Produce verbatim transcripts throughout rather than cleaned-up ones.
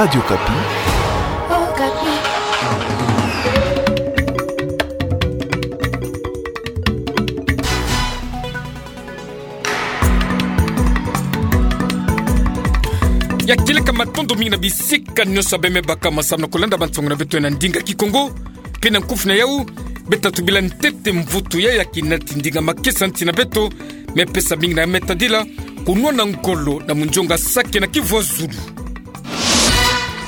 Radio Okapi. Ya kieleka matondo mingi na bisika nyonso bemebaka masamu na kulanda bansangu na beto na ndinga Kikongo. Mpe na nkufi na yau, beta tubila ntete mvutu ya ya kinati ndinga makesa nti na beto, me pesa mingi na me tadila, kunwana ngolo na munzonga sake na Kivu ya Zulu.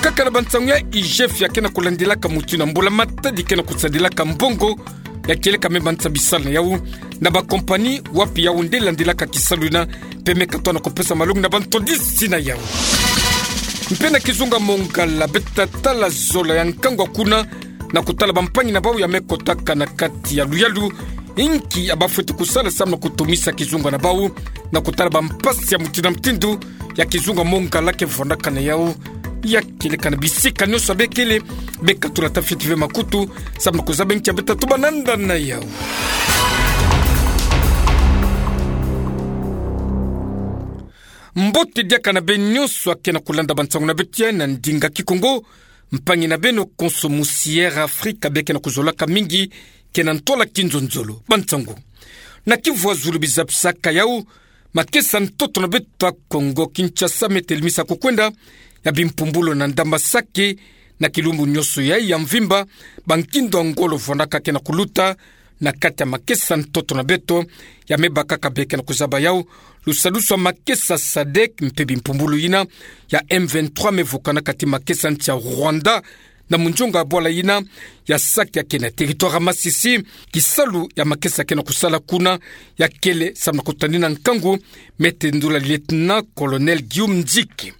Kaka na bansangu ya I G F ya ke na kulandilaka mutu na mbula-matadi ke na kusadilaka mbongo, ya kieleka me manisa bisalu na yau na bakompani wapi yau nde landilaka kisalu yina, mpe me katoa na kupesa malongi na bantwadisi na yau. Mpe na kizunga Mongala beta tala zola ya nkangu kuna, na kutala bampangi na bau ya me kotaka na kati ya luyalu, inki ya bafweti kusala samu na kutumisa kizunga na bau, na kutala bampasi ya mutindu na mutindu ya kizunga Mongala ke vwandaka na yau. Ya kieleka na bisika nyonso bekele, beka tula tafiti ve makutu, samu na kuzaba inki ya beta tuba nanda na yau. Mbote diaka na beno nyonso ake na kulanda bansangu na beto ya na ndinga Kikongo, mpangi na beno konso musi Air Afrika be ke na kuzolaka mingi, ke na ntwala kinzonzolo. Bansangu na Kivu ya Zulu bizabisaka yau, makesa ntoto na beto ya Kongo Kinshasa me telemisa kukwenda ya bimpumbulu na ndamba sake, na kilumbu nyonso ya ya mvimba, bankindu ya ngolo vwandaka ke na kuluta na kati ya makesa ntoto na beto, ya me bakaka be ke na kuzaba yau lusadusu ya makesa sadek mpe bimpumbulu yina ya M vingt-trois me vukana kati makesa nti ya Rwanda, na munzonga bwala yina ya sake ya ke na territoire ya Masisi, kisalu ya makesa ke na kusala kuna, ya kele samu na kutanina nkangu, me tendula lieutenant-colonel Guillaume Nziki.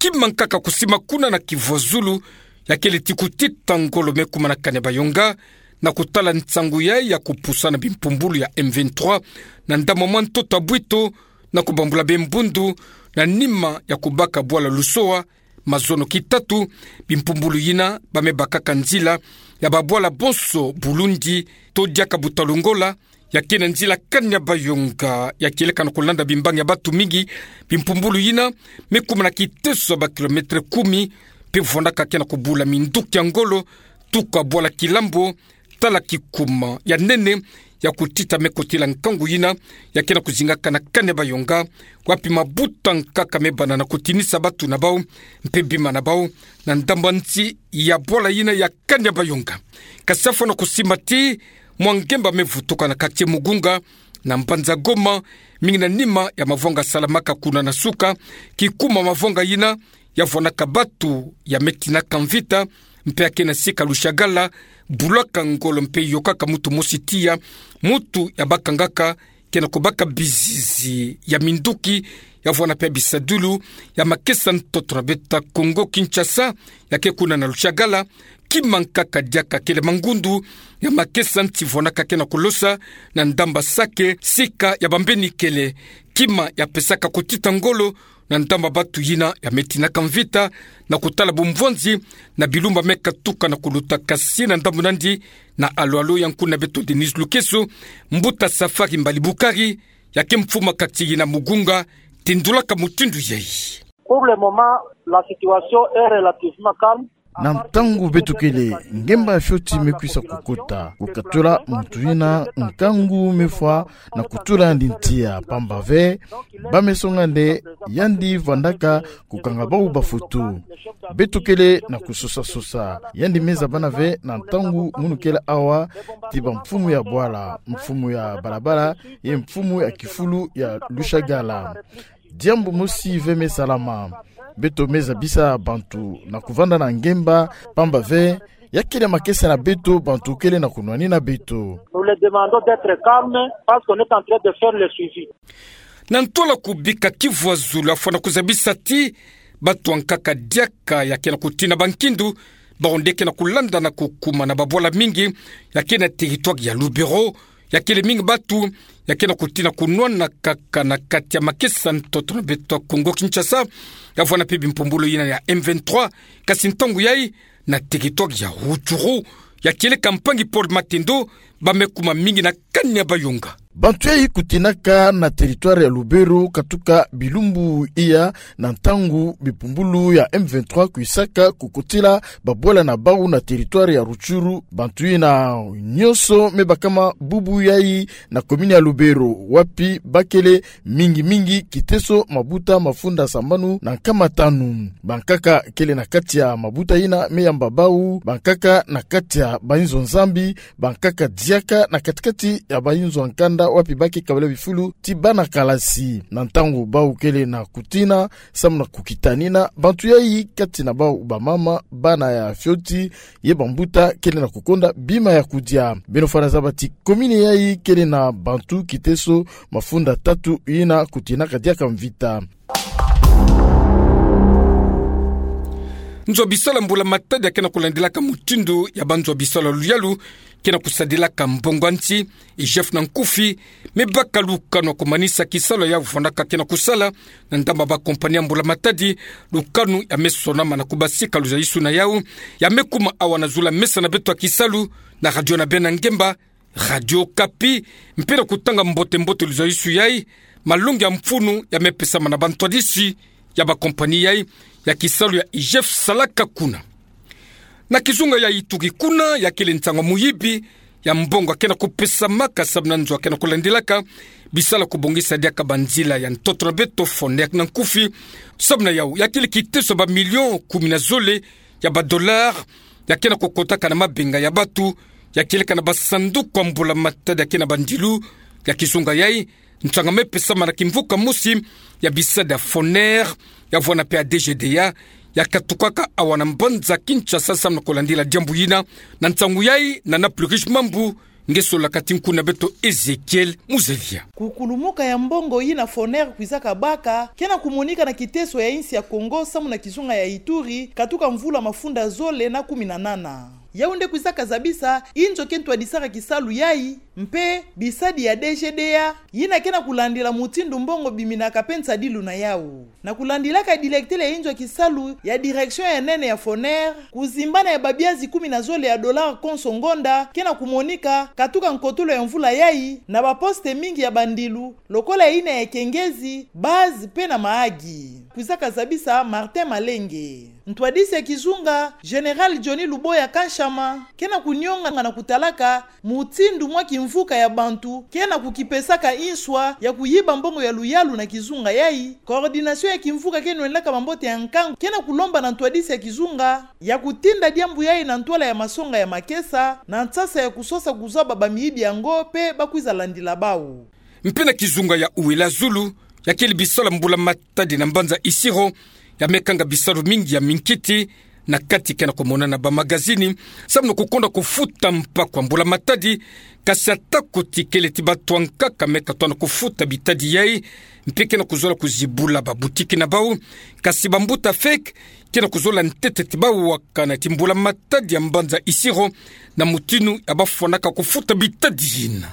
Kima nkaka kusima kuna na Kivu ya Zulu, ya kele ti kutita ngolo me kuma na Kanyabayonga, na kutala nsangu ya ya kupusa na bimpumbulu ya M vingt-trois na ndambu mwa ntoto ya Bwito, na kubambula be mbundu, na nima ya kubaka bwala Lusoa, mazono kitatu, bimpumbulu yina ba me bakaka nzila ya babwala bonso bulungi, to diaka buta lungola, ya ke na nzila Kanyabayonga, ya kieleka na kulanda bimbangi ya batu mingi, bimpumbulu yina me kuma na kiteso ya ba kilomètre kumi, mpe vwandaka ke na kubula minduki ya ngolo, tuka bwala Kilambo, tala kikuma ya nene ya kutita me kotila nkangu yina, ya ke na kuzingaka na Kanyabayonga, wapi mabuta nkaka me bana na kutinisa batu na bau, mpe bima na bau, na ndambu nti ya bwala yina ya Kanyabayonga. Kasi afwa na kusima ti mwa ngemba me vutuka na quartier Mugunga, na mbanza Goma, mingi na nima ya mavwanga salamaka kuna na suka, kikuma mavwanga yina, ya vwanaka batu ya me tinaka mvita, mpe ya ke na sika Lushagala, bulaka ngolo mpe yokaka mutu mosi tiya, mutu ya bakangaka, ke na kubaka bizizi ya minduki, ya vwana mpe bisadulu ya makesa ntoto na beto ya Kongo Kinshasa, ya ke kuna na Lushagala, kima nkaka diaka kele mangundu ya makesa nti vwanaka ke na kulosa na ndambu sake, sika ya bambeni kele, kima ya pesaka kutita ngolo, na ndambu batu yina ya me tinaka mvita, na kutala bumvwanzi na bilumbu me katuka na kuluta kasi na ndambu nandi, na alo-alo ya nkuna beto Denise Lukeso, mbuta Safari Mbali Bukari, ya ke mfumu ya quartier yina Mugunga, tindulaka mutindu yayi. Pour le moment, la situation est relativement calme. Na ntangu beto kele, ngemba fioti me kwisa kukota. Kukatula muntu yina nkangu me fwa na kutula yandi ntia, pamba ve ba me songa nde yandi vandaka kukanga bau bafutu. Beto kele na kusosa-sosa. Yandi me zabana ve na ntangu munu kele awa ti bamfumu ya bwala, mfumu ya balabala, ye mfumu ya kifulu ya Lushagala. Diambu mosi ve me salama. Beto me zabisa bantu na kuvanda na ngemba, pamba ve ya kele makesa na beto, bantu kele na kunwanina beto. Nous les demandons d'être calmes parce qu'on est en train de faire le suivi. Na ntwala kubika Kivu ya Zulu, afwa na kuzabisa ti bato ya nkaka diaka ya ke na kutina bankindu, bawu nde ke na kulanda na kukuma na babwala mingi ya ke na territoire ya Lubero, ya kele mingi bato ya ke na kutina kunwana kaka na kati ya makesa ntoto na beto ya Kongo Kinshasa, ya vwana mpe bimpumbulu yina ya M vingt-trois, kasi ntangu yayi na territoire ya Rutshuru, ya kieleka mpangi Paul Matendo, ba me kuma mingi na Kanyabayonga. Bantu yayi kutinaka na territoire ya Lubero katuka bilumbu iya na ntangu bipumbulu ya M vingt-trois kwisaka kukotila babwala na bau na territoire ya Rutshuru. Bantu yina nyonso me bakama bubu yayi na commune ya Lubero, wapi bakele mingi mingi Kiteso, Mabuta, mafunda sambanu na nkama tanu. Bankaka kele na kati ya mabuta yina me yamba bau bankaka na kati ya bayinzo Nzambi, bankaka diaka na kati-kati ya bayinzo ya nkanda wapi bake kabila bifulu ti bana kalasi. Na ntangu bau kele na kutina samu na kukitanina, bantu yayi kati na bau bamama, bana ya fioti, ye bambuta kele na kukonda bima ya kudia. Beno fwana zaba ti commune yayi kele na bantu Kiteso mafunda tatu yina kutinaka diaka mvita. Nzo ya bisalu ya mbula matadi ya ke na kulandilaka mutindu ya banzo ya bisalu ya luyalu ke na kusadilaka mbongo ya nsi, IGF na nkufi, me baka lukanu ya kumanisa kisalu ya vwandaka ke na kusala na ndambu ya bakompani ya mbula matadi. Lukanu ya me sonama na kubasika luzayisuna yau, ya me kuma awa na zulu ya mesa na beto ya kisalu na radio na beno ya ngemba, Radio Okapi, mpe na kutanga mbote-mbote luzayisu yayi. Malongi ya mfunu ya me pesama na bantwadisi ya bakompani yayi ya kisalu ya IGF salaka kuna. Na kizunga ya Ituri kuna, ya kele nsangu ya muyibi ya mbongo ya ke na kupesamaka samu na nzo ya ke na kulandilaka bisalu ya kubongisa diaka banzila ya ntoto na beto, Foner na nkufi. Samu na yau, ya kele kiteso ya bamilio kumi na zole ya badollars ya ke na kukotaka na mabenga ya batu, ya kieleka na basanduku ya mbula matadi ya ke na bandilu. Ya kizunga yayi, nsangu ya me pesama na kimvuka mosi ya bisadi ya Foner, ya vwanda mpe ya DGDA, ya katukaka awa na mbanza Kinshasa samu na kulandila diambu yina. Na nsangu yayi, Nana Plurish Mambu nge solaka ti nkuna beto Ezekiel Muzelia. Kukulumuka ya mbongo yina Foner kwizaka baka ke na kumonika na kiteso ya insi ya Kongo samu na kizunga ya Ituri, katuka mvula mafunda zole na kumi na nana. Yau nde kwizaka zabisa inzo ke ntwadisaka kisalu yayi, mpe bisadi ya DGDA yina ke na kulandila mutindu mbongo biminaka mpe nsadilu na yau. Na kulandilaka dilektele ya inzo ya kisalu ya direction ya nene ya Foner, kuzimbana ya babiazi kumi na zole ya dollars konso ngonda ke na kumonika katuka nkotolo ya mvula yayi na baposte mingi ya bandilu, lokola yina ya Kengezi, Base mpe na Mahagi, kwizaka zabisa Martin Malenge. Ntwadisi ya kizunga, Général Johnny Luboya Kanshama, ke na kunionga na kutalaka mutindu mwa kimvuka ya bantu ke na kukipesaka inswa ya kuyiba mbongo ya luyalu na kizunga yayi. Coordination ya kimvuka ke nwendilaka bambote ya nkangu ke na kulomba na ntwadisi ya kizunga ya kutinda diambu yayi na ntwala ya masonga ya makesa, na nsasa ya kusosa kuzaba bamiyibi yango mpe bakwiza landila bau. Mpe na kizunga ya Ouéla-Zulu, ya kele bisalu ya mbula matadi na mbanza Isiro, ya me kanga bisalu mingi ya minkiti, na kati ke na kumonana bamagazini samu na kukonda kufuta mpaku ya mbula matadi. Kasi ata kuti kele ti batu ya nkaka me katona kufuta bitadi yayi, mpe ke na kuzola kuzibula babutiki na bau. Kasi bambuta feke ke na kuzola ntete ti bau wakana ti mbula matadi ya mbanza Isiro na mutinu ya bafwanaka kufuta bitadi yina.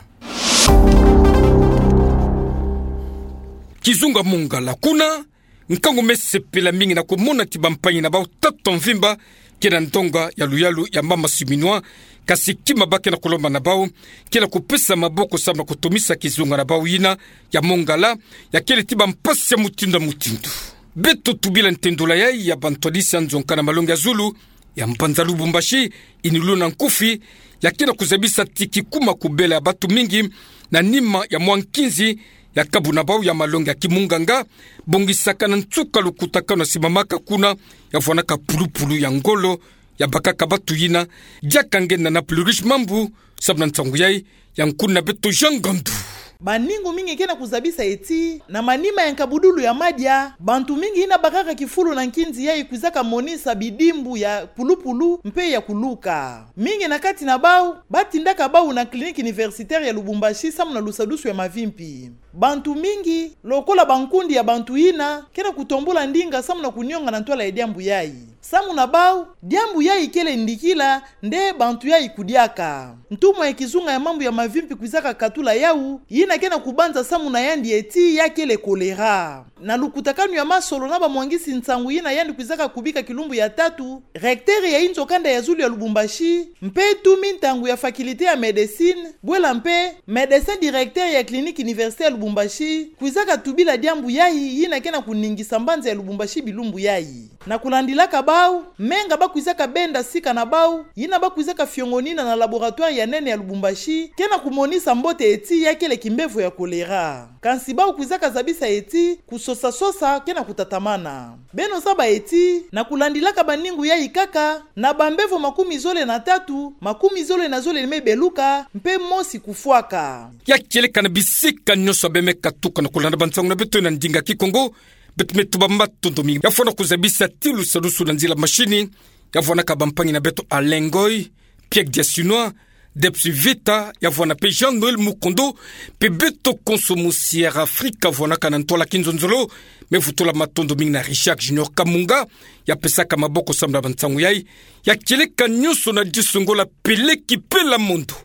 Kizunga Mongala kuna, nkangu me sepela mingi na kumona ti bampangi na bau tatu ya mvimba ke na ndonga ya luyalu ya mama Siminwa, kasi kima ba ke na kulomba na bau ke na kupesa maboko samu na kutumisa kizunga na bau yina ya Mongala, ya kele ti bampasi ya mutindu na mutindu. Beto tubila ntendula yayi ya bantwadisi ya nzonka na malongi ya zulu ya mbanza Lubumbashi, Inulu na nkufi, ya ke na kuzabisa ti kikuma kubela ya batu mingi na nima ya mwa nkinzi ya kabu na bau ya malongi ya kimunganga, bongisaka na nsuka lukutakanu ya simamaka kuna, ya vwanaka pulupulu ya ngolo, ya bakaka batu yina. Diaka nge Nana Plurish Mambu, samu na nsangu yayi, ya nkuna beto Jean Ngandu. Baningu mingi ke na kuzabisa ti, na manima ya nkabudulu ya madia, bantu mingi yina bakaka kifulu na nkinzi yayi kwizaka monisa bidimbu ya pulupulu mpe ya kuluka. Mingi na kati na bau, batindaka bau na Clinique Universitaire ya Lubumbashi samu na lusadusu ya mavimpi. Bantu mingi, lokola bankundi ya bantu yina, ke na kutombula ndinga samu na kunionga na ntwala ya diambu yayi. Samu na bau, diambu yayi kele ndikila, nde bantu yayi kudiaka. Ntumwa ya kizunga ya mambu ya mavimpi kwizaka katula yau, yina ke na kubanza samu na yandi ti ya kele choléra. Na lukutakanu ya masolo na bamwangisi nsangu yina yandi kwizaka kubika kilumbu ya tatu, recteur ya inzo kanda ya zulu ya Lubumbashi, mpe tumi ntangu ya faculté ya médecine, bwela mpe médecin directeur ya clinique université ya Lubumbashi, kwizaka tubila diambu yayi yina ke na kuningisa mbanza ya Lubumbashi bilumbu yayi. Na kulandilaka bau, menga bakwizaka benda sika na bau, yina bakwizaka fiongonina na laboratoire ya nene ya Lubumbashi, ke na kumonisa mbote ti ya kele kimbevo ya choléra. Kansi bau kwizaka zabisa ti kusosa-sosa ke na kutatamana. Beno zaba ti, na kulandilaka baningu yayi kaka, na bambevo makumi zole na tatu, makumi zole na zole me beluka, mpe mosi kufwaka. Ya kieleka na bisika nyonso beno me katuka na kulanda bansangu na beto na ndinga Kikongo, beto me tuba matondo mingi. Ya fwana kuzabisa ti lusadusu na nzila mashini, ya fwanaka bampangi na beto Alain Ngoy, Pierre Diasinois, Debs Vita, ya fwana mpe Jean-Noël Mukondo, mpe beto konso musi Air Afrique, ya fwanaka na ntwala kinzonzolo, me vutula matondo mingi na Richard Junior Kamunga, ya pesaka maboko samu na bansangu yayi, ya kieleka nyonso na disu ngolo, Peleki Pela Mondo.